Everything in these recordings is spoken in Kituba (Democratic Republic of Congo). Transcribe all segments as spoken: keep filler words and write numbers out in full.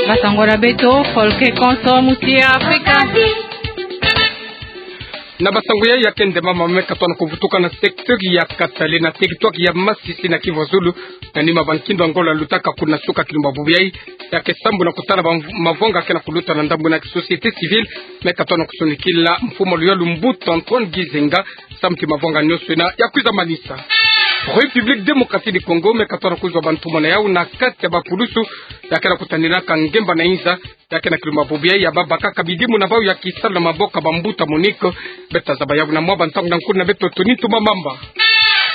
Basango na beto, Folke Konso, Muti ya Afrika. Na basango ya, ya ke nde mama me katona kuvutuka na secteur ya Katale na territoire ya Masisi na Kivu ya Zulu. Na nima ba nkindo ya ngolo lutaka kuna suka kilumbu bubu yai, ya ke sambu na kutala ba mv-, mavanga ke na kuluta na ndambu na société civile, me katona kusonikila mfumu wa luyalu Mbuta Antoine Gizenga, samu ti mavanga nyonso ina ya kwiza manisa. République démocratique du Congo me katona kuzwa ba ntumwa na yau na kati ya ba pulusu ya ke na kutaninaka ngemba na inza, ya ke na kilumbu bubu yai ya baba kaka bidimu na bau ya kisalu na maboko ya ba mbuta MONUC. Beto tazaba yau na mwa ba ntangu na nkundi na beto Tony Tumamamba.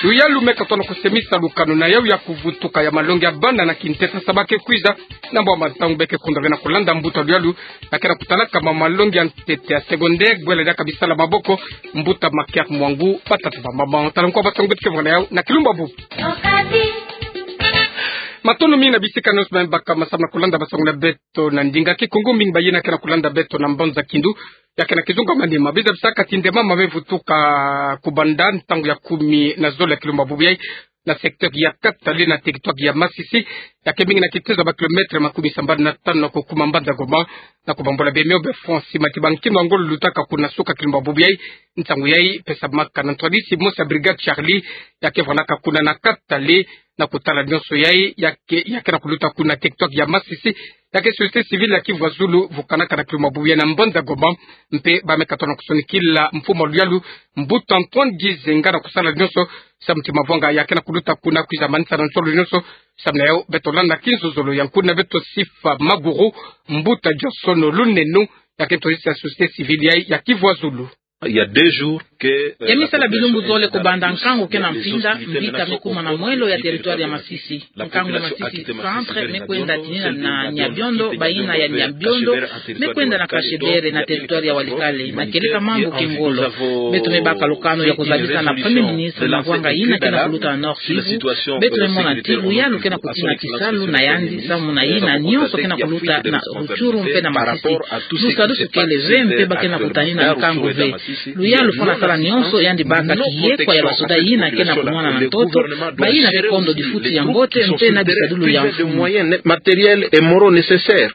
Luyalu me katona kusemisa lukanu na yau ya kuvutuka ya malongi ya bana na kintete, sa ba ke kwiza na mwa ba ntangu be ke kunda ve na kulanda mbuta luyalu ya ke na kutalaka ma malongi ya ntete ya secondaire, bwela diaka bisalu ya maboko, Mbuta Makiak Mwangu. Batata, bamama, tala nkwa basango beto ke vwanga na yau na kilumbu bubu. Matondo mingi na bisika nyonso me baka masamu na kulanda basango na beto na ndinga Kikongo, mingi bayina ke na kulanda beto na mbanza Kindu. Ya ke na kizunga manima, biza bisaka ti nde mama me vutuka kubanda ntangu ya kumi na zole ya kilumbu bubu yai na secteur ya Katale na territoire ya Masisi, ya ke mingi na kitezo ya ba kilomètre makumi sambanu na tanu na kukuma mbanza Goma, na kubambula bemio be Francis Mati, ba nkindo ya ngolo lutaka kuna suka kilumbu bubu yai. Nsangu yai pesamaka na ntwadisi mosi ya Brigade Charlie, ya ke vwanaka kuna na Katale, na kutala nyonso yai ya ke, ya ke na kuluta kuna territoire ya Masisi, ya ke société civile ya Kivu ya Zulu vukanaka na kilumbu bubu yai na mbanza Goma. Mpe ba me katona kusonikila mfumu wa luyalu Mbuta Antoine Gizenga na kusala nyonso samu ti mavanga ya ke na kuluta kuna kwiza manisa na nsolo nyonso. Samu na yau beto landa kinzozolo ya nkundi na beto Sifa Maguru, Mbuta Johnson Lunenu, ya ke ntwadisi ya société civile yai ya Kivu ya Zulu. Il y a deux jours que, euh, ya mi sala bilumbu zole kubanda nkangu ke na mfinda, mbika me kuma na mwelo ya territoire ya Masisi. Nkangu ya Masisi Centre me kwenda tinina na Nyabiondo, bayina ya Nyabiondo me kwenda na Kashebere na territoire ya Walikale, na kieleka mambu ke ngolo. Beto me baka lukanu ya kuzabisa na Premier Ministre mavanga yina ke na kuluta na Nord Kivu. Beto me mona ti luyalu ke na kutina kisalu na yandi, samu na yina nyonso ke na kuluta na Rutshuru mpe na Masisi. Musadusu kele ve, mpe ba ke na kutanina nkangu ve. Luyalu fwana sala nyonso yandi baka kiyekwa ya basoda yina ke na kumwana na ntoto, bayina ke kondo difuti ya mbote mpe na bisadulu ya mfumu. Matériel et moraux nécessaires.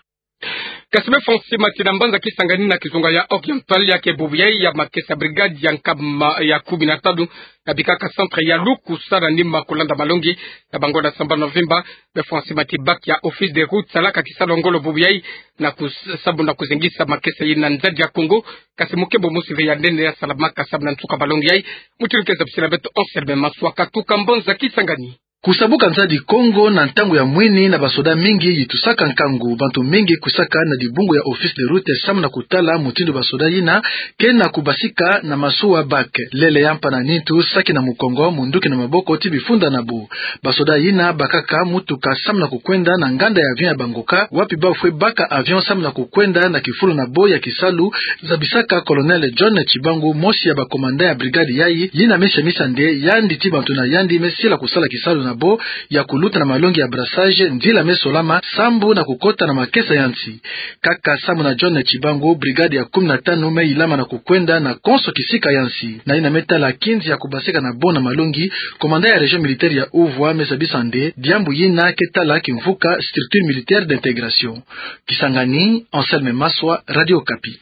Kasi be Francis Mati na mbanza Kisangani na kizunga ya Oriental, ya ke bubu yai ya makesa brigade ya nkama ya kumi na tanu, ya bikaka centre ya lukusa na nima kulanda malongi ya bango na sambanu na vimba. Be Francis Mati, bac ya office de route, salaka kisalu ya ngolo bubu yai na kus-, samu na kuzengisa makesa yina nzadi ya Kongo. Kasi mukembo mosi ve ya nene ya salamaka samu na nsuka malongi yai. Mutindu ke zabisila beto Anselme Maswa, katuka mbanza Kisangani. Kusabuka nzadi Kongo na ntangu ya mwini na basoda mingi yitusaka nkangu. Bantu mingi kwisaka na dibungu ya office de route samu na kutala mutindu basoda yina ke na kubasika na masuwa bac. Lele ya mpa na nitu, saki na mukongo, munduki na maboko ti bifunda na bo. Basoda yina bakaka mutuka samu na kukwenda na nganda ya avion ya Bangoka, wapi ba fwe baka avion samu na kukwenda na kifulu na bo ya kisalu, zabisaka Colonel John Tshibangu, mosi ya ba commandant ya brigade yai, yina me semisa nde yandi ti bantu na yandi me sila kusala kisalu na bo ya kuluta na malongi ya brassage, nzila me solama sambu na kukota na makesa ya nsi. Kaka samu na John Tshibangu, brigade ya kumi na tanu me ilama na kukwenda na konso kisika ya nsi. Na yina me tala kinzi ya kubasika na bo na malongi, commandant ya région militaire ya Uvwa me zabisa nde diambu yina ke tala kimvuka structure militaire d'intégration. Kisangani, Anselme Maswa, Radio Okapi.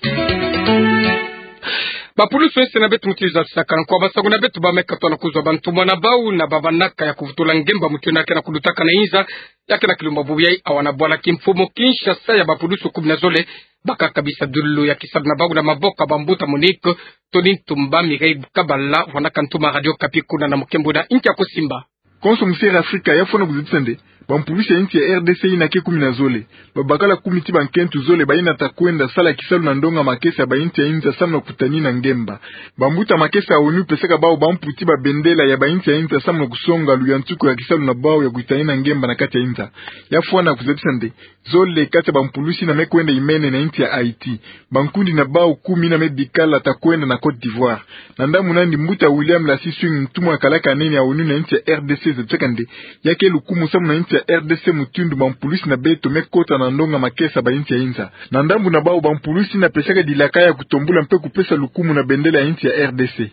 Bapulusu ese na beto mutindu zabisaka nkwa basango na beto, ba me katona kuzwa bantumwa na bau na babanaka ya kuvutula ngemba mutindu yina ke na kulutaka na inza, ya ke na kilumbu bubu yai awa na bwala kimfumu Kinshasa ya bapulusu kumi na zole, bakaka bisadulu ya kisalu na bau na maboko ya bambuta MONUC. Tony Ntumba, Mireille Kabala, vwanaka ntuma Radio Okapi kuna na mukembo na inki ya kusimba. Konso mu Sierra Afrika ya fwana kuzabisa nde bampulusi ya insi ya R D C yina ke kumi na zole, babakala kumi ti bankento zole bayina ta kwenda sala kisalu na ndonga makesa ya ba insi ya inza samu na kutanina ngemba. Bambuta makesa ya ONU pesaka bau bampu ti babendela ya ba insi ya inza samu na kusonga luyantiku ya kisalu na bau ya kutanina ngemba na kati ya inza. Ya fwana kuzabisa nde zole kati ya bampulusi yina me kwenda imene na insi ya Haïti. Bankundi na bau kumi yina me bikala ta kwenda na Côte d'Ivoire. Na ndambu nandi, mbuta William Lassy Swing, ntumwa ya kalaka nene ya ONU na insi ya R D C, zabisaka nde ya ke lukumu samu na insi ya R D C mutindu bampulusi na beto me kota na ndonga makesa ya ba insi ya inza. Na ndambu na bau, bampulusi yina pesaka dilaka ya kutombula mpe kupesa lukumu na bendela ya insi ya R D C.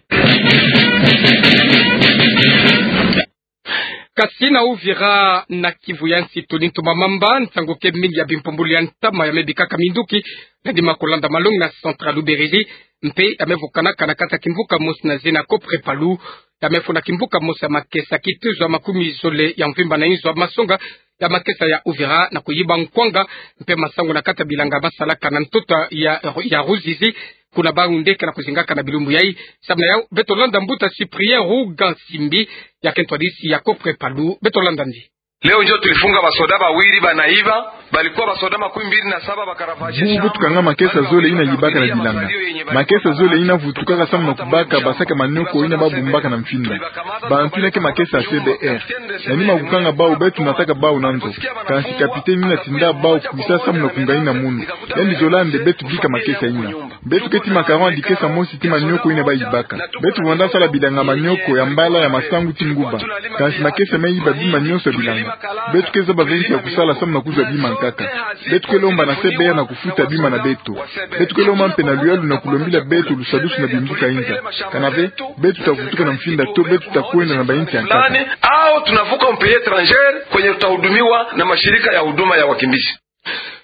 Kasi na Uvira na Kivu ya Nsituni, ntoma mamba, nsangu ke mingi ya bimpumbulu ya ntama ya me bikaka minduki, na dima kolanda malongi na centre ya Luberizi, mpe ya me vukanaka na kati ya kimvuka mosi na zina Copre Palu, ya me funa kimvuka mosi ya makesa kituzu ya makumi zole ya mvimba na inzo ya masonga ya makesa ya Uvira na kuyiba nkwanga, mpe masangu na kati ya bilanga basalaka na ntoto ya, ya Ruzizi, kuna bawu nde ke na kuzingaka na bilumbu yayi. Samu na yawu, beto landa mbuta Cyprien Ruga Simbi, ya ke ntwadisi ya Copre Palu, beto landa ndi. Leo njo tulifunga basoda bawiri banaiba, balikuwa basoda makumi mbili na saba, bakarafashe. Bubu beto kanga makesa zole yina yibaka na bilanga. Makesa zole yina vutukaka samu na kubaka basaki ya manioko yina babumbaka na mfinda. Bantu yina ke makesa ya C B R. Na dima kukanga bawu, beto nataka bawu na nzo. Kansi capitaine yina tinda bawu kwisa samu na kungaina munu. Yandi zola nde beto bika makesa yina. Beto ke ti macaron ya dikesa mosi ti manioko yina bayibaka. Beto vwanda sala bilanga manioko ya mbala ya masangu ti nguba. Kansi makesa me yiba bima nyonso ya bilanga. Beto ke zaba ve nki ya kusala samu na kuzwa bima nkaka. Beto ke lomba na C B R na kufuta bima na beto. Beto ke lomba mpe na luyalu na kulombila beto lusadusu na bimbuka inza. Kana ve, beto tavutuka na mfinda to beto takwenda na bainsi ya nkaka. Au tunavuka mpeye étrangère kwenye tutahudumiwa na mashirika ya huduma ya wakimbizi.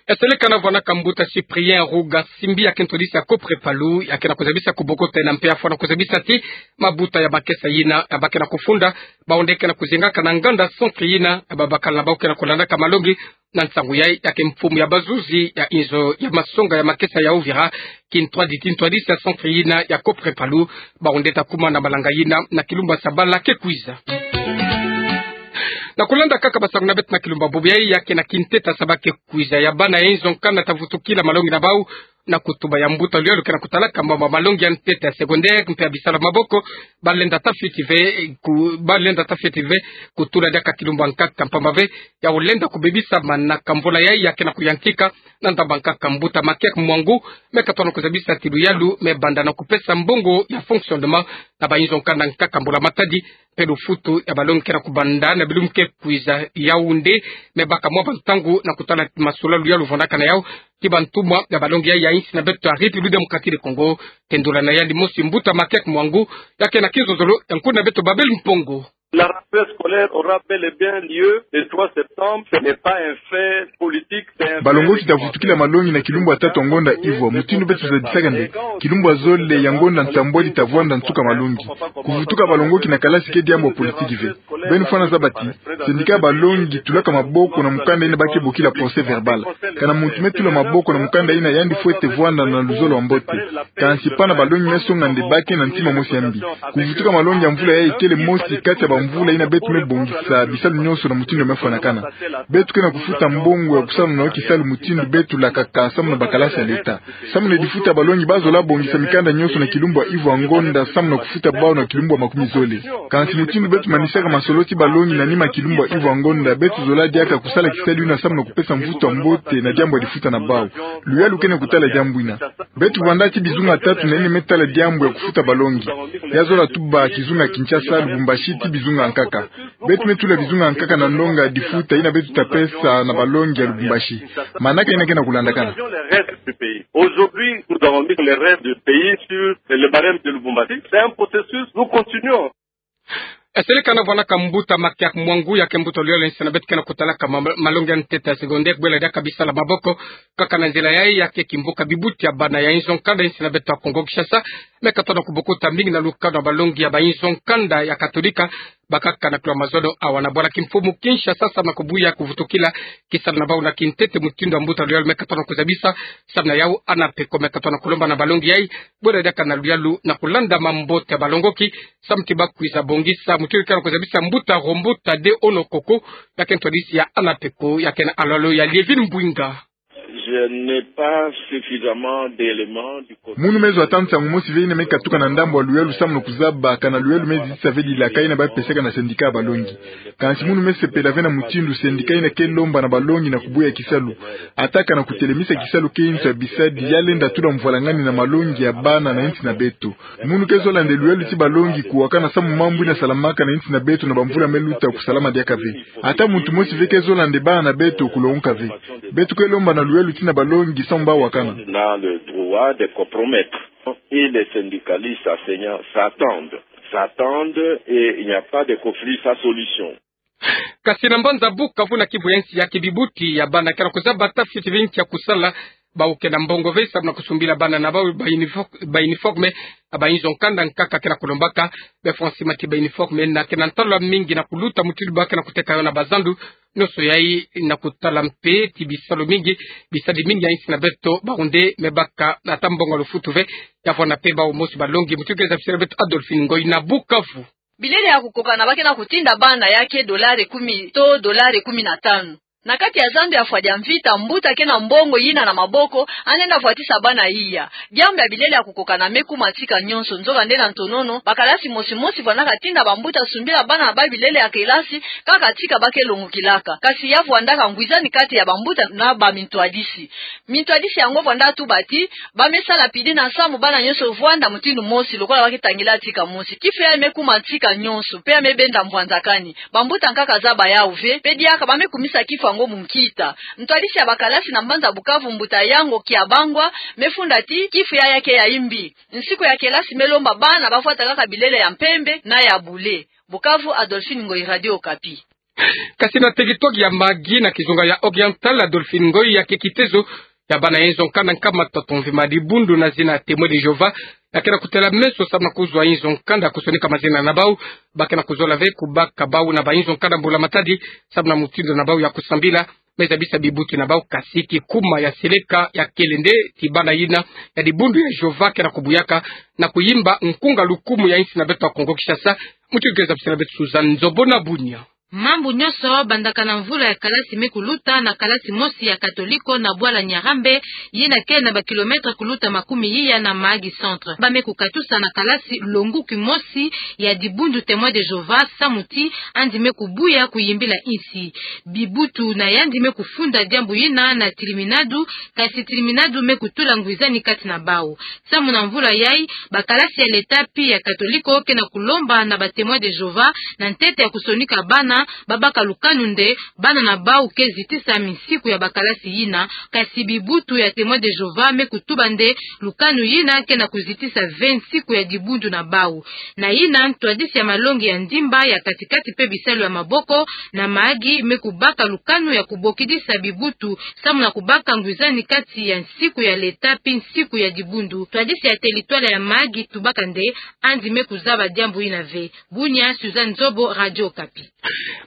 Eseleka na vwanaka mbuta Cyprien Ruga Simbi, ya ke ntwadisi ya Copre Palu, ya ke na kuzabisa kubokota yina mpe ya fwana kuzabisa ti mabuta ya makesa yina ya ba ke na kufunda, bawu nde ke na kuzingaka na nganda centre yina, ya babakala na bawu ke na kulandaka malongi. Na nsangu yayi, ya ke mfumu ya bazuzi ya inzo ya masonga ya makesa ya Uvira, kintwadi, kintwadisi ya centre yina ya Copre Palu, bawu nde ta kuma na malanga yina na kilumbu ya sabala ke kwiza. Na kulanda kaka basangu na beto na kilumbu bubu yayi, ya ke na kintete ya sabala ke kwiza, ya bana ya inzo nkanda tavutukila malongi na bawu na kutuba ya mbuta luyalu ke na kutalaka mambu ya malongi ya ntete ya secondaire mpe ya bisalu ya maboko, balenda ta fioti ve ku-, balenda ta fioti ve kutula diaka kilumbu ya nkaka, mpamba ve ya olenda kubebisa manaka mvula yayi ya ke na kuyantika. Na ndambu ya nkaka, mbuta Maker Mwangu me katono kuzabisa ti luyalu me banda na kupesa mbongo ya fonctionnement na bainzo nkanda nkaka mbula matadi, mpe lufutu ya balongi ke na kubanda na bilumbu ke kwiza. Yawu nde me baka mwa bantangu na kutala ti masolo luyalu vwandaka na yawu ti bantumwa ya balongi ya, ya insi na beto ya République Démocratique du Congo. Tendula na yandi mosi mbuta Maker Mwangu, ya ke na kinzonzolo ya nkuna beto Babel Mpongo. La rentrée scolaire aura bel et bien lieu le trois septembre. Ce n'est pas un fait politique, c'est un fait. Balongoki tavutukila malongi na kilumbu ya tatu ya ngonda ivwa. Mutindu beto tuzadisaka nde, kilumbu ya zole ya ngonda ntambwadi tavwanda nsuka malongi. Kuvutuka balongoki na kalasi ke diambu ya politiki ve. Beno fwana zaba ti, syndicat ya balongi tulaka maboko na mukanda yina ba ke bokila procès-verbal. Kana muntu me tula maboko na mukanda yina, yandi fwete vwanda na luzolo ya mbote. Kansi pana balongi me songa nde ba ke na ntima mosi ya mbi. Kuvutuka malongi ya mvula yayi kele mosi kati ya bamvula yina beto me bongisa bisalu nyonso na mutindu ya me fwanakana. Beto ke na kufuta mbongo ya kusala na yo kisalu mutindu beto lakaka samu na bakalasi ya leta. Samu na difuta ya balongi, ba zola bongisa mikanda nyonso na kilumbu ya ivwa ngonda samu na kufuta bawu na kilumbu ya makumi zole. Kansi mutindu beto manisaka masolo ti balongi na nima kilumbu ya ivwa ngonda, beto zola diaka kusala kisalu yina samu na kupesa mvutu ya mbote na diambu ya difuta na bawu. Luyalu ke na kutala diambu yina. Beto vwanda ti bizunga tatu na yina me tala diambu ya kufuta balongi. Ya zola tuba kizunga Kinshasa, Lubumbashi, ti bizunga nkaka. Beto me tula bizunga nkaka na ndonga ya difuta yina beto tapesa na balongi ya Lubumbashi. Manaka yina ke na kulandakana. Aujourd'hui, nous avons mis le reste du pays sur le barème de Lubumbashi. C'est un processus, nous continuons. Eseleka na vwanaka mbuta Maker Mwangu, ya ke mbuta luyalu ya insi na beto ke na kutalaka ma-, malongi ya ntete ya secondaire, bwela diaka bisalu ya maboko, kaka na nzila yayi ya ke kimvuka bibuti ya bana ya inzo nkanda insi na beto ya Kongo Kinshasa me katono kubokota mingi na lukanu ya balongi ya bainzo nkanda ya Katolika, bakaka na kilo mazono awa na bwala kimfumu Kinshasa samu na kubuya kuvutukila kisalu na bawu na kintete mutindu ya mbuta luyalu me katono kuzabisa. Samu na yawu ANAPECO me katono kulomba na balongi yayi, bwela diaka na luyalu na kulanda mambote ya balongoki samu ti ba kwiza bongisa mutindu ke na kuzabisa mbuta Rombo Tade Onokoko, ya ke ntwadisi ya ANAPECO, ya ke na alolo ya Lievine Mbwinga. Je n'ai pas suffisamment d'éléments du côté. Munu me zwa ata nsangu mosi ve yina me katuka na ndambu ya luyalu samu na kuzaba kana luyalu me zitisa ve dilaka yina ba pesaka na syndicat ya balongi. Kansi munu me sepela ve na mutindu syndicat yina ke lomba na balongi na kubuya kisalu. Ata kana kutelemisa kisalu ke inzo ya bisadi ya lenda tula mvwalangani na malongi ya bana na insi na beto. Munu ke zola nde luyalu ti balongi kuwakana samu mambu yina salamaka na insi na beto na bamvula me luta kusalama diaka ve. Ata muntu mosi ve ke zola nde bana na beto kulongoka ve. Beto ke lomba na luyalu ti na balongi samu ba wakana. On a le droit de compromettre. Et les syndicalistes enseignants s'attendent, s'attendent et il n'y a pas de conflit sans solution. Kasi na mbanza Bukavu na kibu ya nsi, ya ke bibuti ya bana ke na kuzaba ta fioti bingki ya kusala, bawu ke na mbongo ve samu na kusumbila bana na bawu ba unifo-, ba uniforme, ba inzo nkanda nkaka ke na kulombaka. Be fwa nsi mati ba uniforme na ke na ntalo mingi na kuluta, mutindu ba ke na kuteka yo na bazandu. Nionso yayi na kutala mpe ti bisalu mingi, bisadi mingi ya nsi na beto, bawu nde me baka na ata mbongo ya lufutu ve. Ya vwanda mpe bawu mosi balongi, mutindu ke zabisela beto Adolphine Ngoyi na Bukavu. Bilele ya kukokana ba ke na kutinda bana ya ke dolare kumi to dolare kumi na tanu. Na kati ya zandu ya fwa dia mvita, mbuta ke na mbongo yina na maboko, anenda vwatisa bana iya. Diambu ya bilele ya kukokana me kuma tika nionso, nzokande na ntonono, bakalasi mosi mosi vwandaka tinda bambuta sumbila bana na bawu bilele ya kelasi, kaka tika ba ke longokilaka. Kasi ya vwandaka ngwizani kati ya bambuta na bamintwadisi. Mintwadisi yango vwanda tuba ti, ba me sala pide na samu bana nionso vwanda mutindu mosi lokola ba ke tangila tika mosi. Kifu yayi me kuma tika nionso, mpe ya me benda mbwanzakani. Bambuta nkaka zaba yawu ve, mpe diaka ba me kumisa kifu yango munkita. Ntwadisi ya bakalasi na mbanza Bukavu, mbuta Yango Kiabangwa, me funda ti kifu yayi ya ke ya mbi. Nsiku ya kelasi me lomba bana ba vwata kaka bilele ya mpembe na ya bule. Bukavu, Adolphine Ngoyi, Radio Okapi. Kasi na teritware ya Mahagi na kizunga ya Oriental, Adolphine Ngoyi, ya ke kitezo ya bana ya inzo nkanda nkama tatu mvimba ya dibundu na zina Témoins de Jéhovah, ya ke na kutela meso samu na kuzwa inzo nkanda kusonika mazina na bawu, ba ke na kuzola ve kubaka bawu na ba inzo nkanda mbula matadi, samu na mutindu na bawu ya kusambila me zabisa bibuti na bawu. Kasi kikuma ya seleka ya kele nde ti bana yina ya dibundu ya Jéhovah ke na kubuyaka na kuyimba nkunga lukumu ya nsi na beto ya Kongo Kinshasa. Mutindu ke zabisela beto Suzanne Nzobo na Bunia. Mambu nionso bandaka na mvula ya kalasi me kuluta na kalasi mosi ya katoliko na bwala Nyarambe, yina ke na ba kilomètre kuluta makumi iya na Mahagi Centre. Ba me kukatusa na kalasi longuki mosi ya dibundu Témoins de Jéhovah samu ti andi me kubuya kuyimbila nsi. Bibutu na yandi me kufunda diambu yina na tiliminadu, kasi tiliminadu me kutula ngwizani kati na bawu. Samu na mvula yayi, bakalasi ya leta pi ya katoliko ke na kulomba na ba Témoins de Jéhovah na ntete ya kusonika bana, ba baka lukanu nde bana na bawu ke zitisa minsiku ya bakalasi yina, kasi bibutu ya Témoins de Jéhovah me kutuba nde lukanu yina ke na kuzitisa ve nsiku ya dibundu na bawu. Na yina ntwadisi ya malongi ya ndimba, ya katikati mpe bisalu ya maboko na Mahagi me kubaka lukanu ya kubokidisa bibutu samu na kubaka ngwizani kati ya nsiku ya leta pi nsiku ya dibundu. Ntwadisi ya teritware ya Mahagi tubaka nde andi me kuzaba diambu yina ve. Bunia, Suzanne Nzobo, Radio Okapi.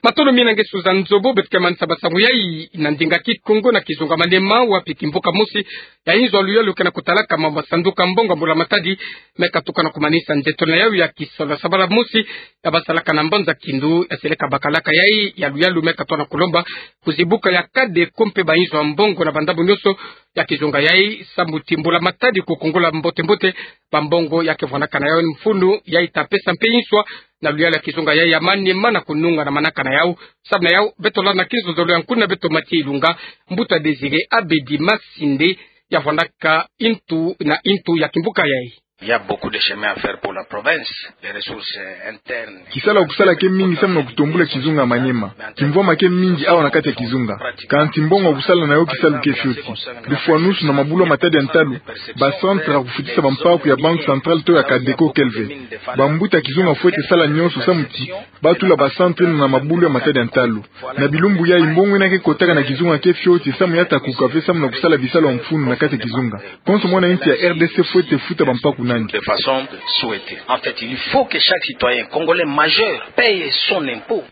Matondo mingi na nge Suzanne Nzobo. Beto ke manisa ba nsangu yayi na ndinga Kikongo na kizunga Maniema, wapi kimbuka mosi ya inzo ya luyalu ke na kutalaka ma masanduku ya mbongo ya mbula matadi me katuka na kumanisa nzeto na yawu ya kisalu ya sabala mosi ya basalaka na mbanza Kindu, ya seleka bakalaka yayi ya luyalu me katoka na kulomba kuzibuka ya Kadeco mpe ba inzo ya mbongo na bandambu nionso ya kizunga yayi, samu ti mbula matadi kukongola mbote-mbote ba mbongo ya ke vwandaka na yawu mfunu ya ita pesa mpe inswa na luyalu ya kizunga yayi ya Maniema na kununga na manaka na yawu. Samu na yawu, beto landa na kinzonzolo ya nkuna beto Mathieu Ilunga, mbuta Désiré Abedi Masinde, ya vwandaka ntu na ntu ya kimbuka yayi. Il y a beaucoup de chemin à faire pour la province. Les ressources, euh, internes. Kisalu ya kusala ke mingi samu na kutombula kizunga ya Maniema. Kimvwama ke mingi awa na kati ya kizunga. Kansi mbongo ya kusala na yo kisalu ke fioti. Lufwanusu na mabulu ya matadi ya ntalu, ba centre ya kufutisa bampaku ya Banque Centrale to ya Kadeco kele ve. Bambuta kizunga fwete sala nionso samu ti ba tula ba centre yina na mabulu ya matadi ya ntalu. Na bilumbu yayi, mbongo yina ke kotaka na kizunga ke fioti samu ya takuka ve samu na kusala bisalu ya mfunu na kati ya kizunga. Konso mwana nsi ya R D C fwete futa bampaku na yandi. De façon souhaitée. En fait, il faut que chaque citoyen congolais majeur paye son impôt.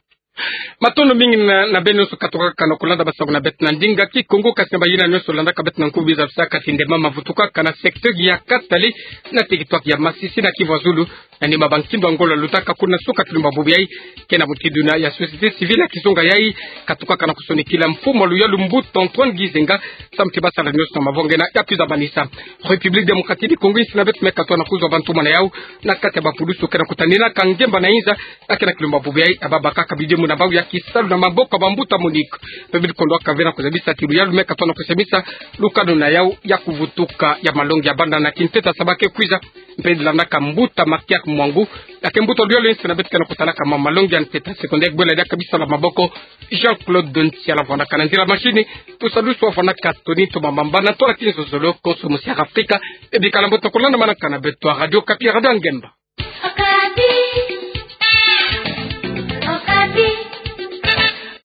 Matondo mingi na, na beno nionso katukaka na kulanda ba nsangu na beto na ndinga Kikongo, kasi na bayina nionso landaka beto na nkubi za bisaka ti nde mama vutukaka na secteur ya Katale, na territoire ya Masisi na Kivu ya Zulu. Na nima ba nkindo ya ngolo lutaka kuna suka kilumba bubu yayi, ke na mutindu yina ya société civile ya kizunga yayi katukaka na kusonikila mfumu ya luyalu mbuta Antoine Gizenga, samu ti ba sala nionso na mavanga yina ya kwiza manisa. République démocratique du Congo, nsi na beto me katoka na kuzwa bantumwa na yawu na kati ya bapulusu ke na kutanina ka ngemba na inza, ya ke na kilumba bubu yayi, ya babakaka bidimu na bawu ya kisalu na maboko ya bambuta MONUC. Mpe bidi kondwaka ve na kuzabisa ti luyalu me katoka na kusemisa lukanu na yawu ya kuvutuka ya malongi ya bana na kinteta Saba ke kwiza. Mpe landaka mbuta Makiak Mwangu, ya ke mbuta luyalu nsi na beto ke na kutalaka ma malongi ya nteta secondaire, bwela diaka bisalu ya maboko. Jean-Claude Ntiala vwandaka na nzila machine, tusalusu vwandaka Tony Toma Mamba na ntwala kinzonzolo konso musi ya Afrika. E bikala mbote kulanda manaka na beto ya Radio Okapi, Radio ya Ngemba.